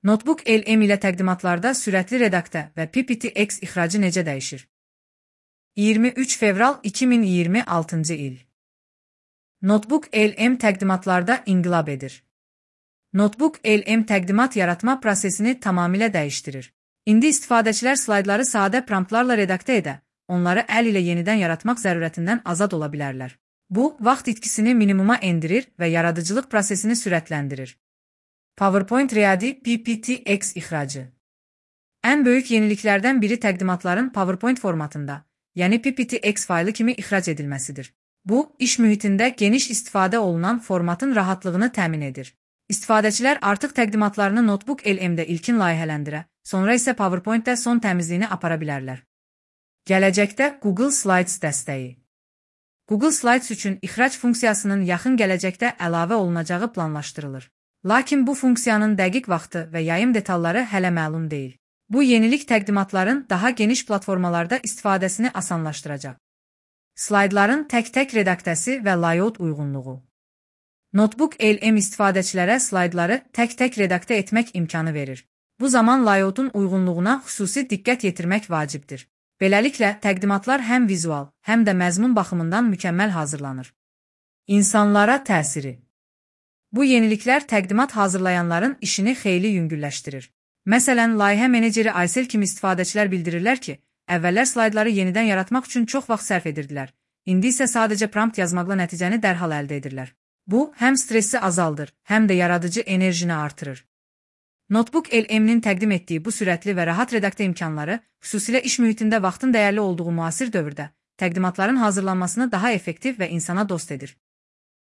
Notebook LM ilə təqdimatlarda sürətli redaktə və PPT-X ixracı necə dəyişir? 23 fevral 2026-cı il. Notebook LM təqdimatlarda inqilab edir. Notebook LM təqdimat yaratma prosesini tamamilə dəyişdirir. İndi istifadəçilər slaydları sadə promptlarla redaktə edə, onları əl ilə yenidən yaratmaq zərurətindən azad ola bilərlər. Bu, vaxt itkisini minimuma endirir və yaradıcılıq prosesini sürətləndirir. PowerPoint Ready PPT-X ixracı. Ən böyük yeniliklərdən biri təqdimatların PowerPoint formatında, yəni PPT-X faylı kimi ixrac edilməsidir. Bu, iş mühitində geniş istifadə olunan formatın rahatlığını təmin edir. İstifadəçilər artıq təqdimatlarını Notebook LM-də ilkin layihələndirə, sonra isə PowerPoint-də son təmizliyini apara bilərlər. Gələcəkdə Google Slides dəstəyi. Google Slides üçün ixrac funksiyasının yaxın gələcəkdə əlavə olunacağı planlaşdırılır. Lakin bu funksiyanın dəqiq vaxtı və yayım detalları hələ məlum deyil. Bu yenilik təqdimatların daha geniş platformalarda istifadəsini asanlaşdıracaq. Slaydların tək-tək redaktəsi və layout uyğunluğu. Notebook LM istifadəçilərə slaydları tək-tək redaktə etmək imkanı verir. Bu zaman layoutun uyğunluğuna xüsusi diqqət yetirmək vacibdir. Beləliklə, təqdimatlar həm vizual, həm də məzmun baxımından mükəmməl hazırlanır. İnsanlara təsiri. Bu yeniliklər təqdimat hazırlayanların işini xeyli yüngülləşdirir. Məsələn, layihə meneceri Aysel kimi istifadəçilər bildirirlər ki, əvvəllər slaydları yenidən yaratmaq üçün çox vaxt sərf edirdilər. İndi isə sadəcə prompt yazmaqla nəticəni dərhal əldə edirlər. Bu, həm stressi azaldır, həm də yaradıcı enerjini artırır. Notebook LM-nin təqdim etdiyi bu sürətli və rahat redaktə imkanları, xüsusilə iş mühitində vaxtın dəyərli olduğu müasir dövrdə, təqdimatların hazırlanmasını daha effektiv və insana dost edir.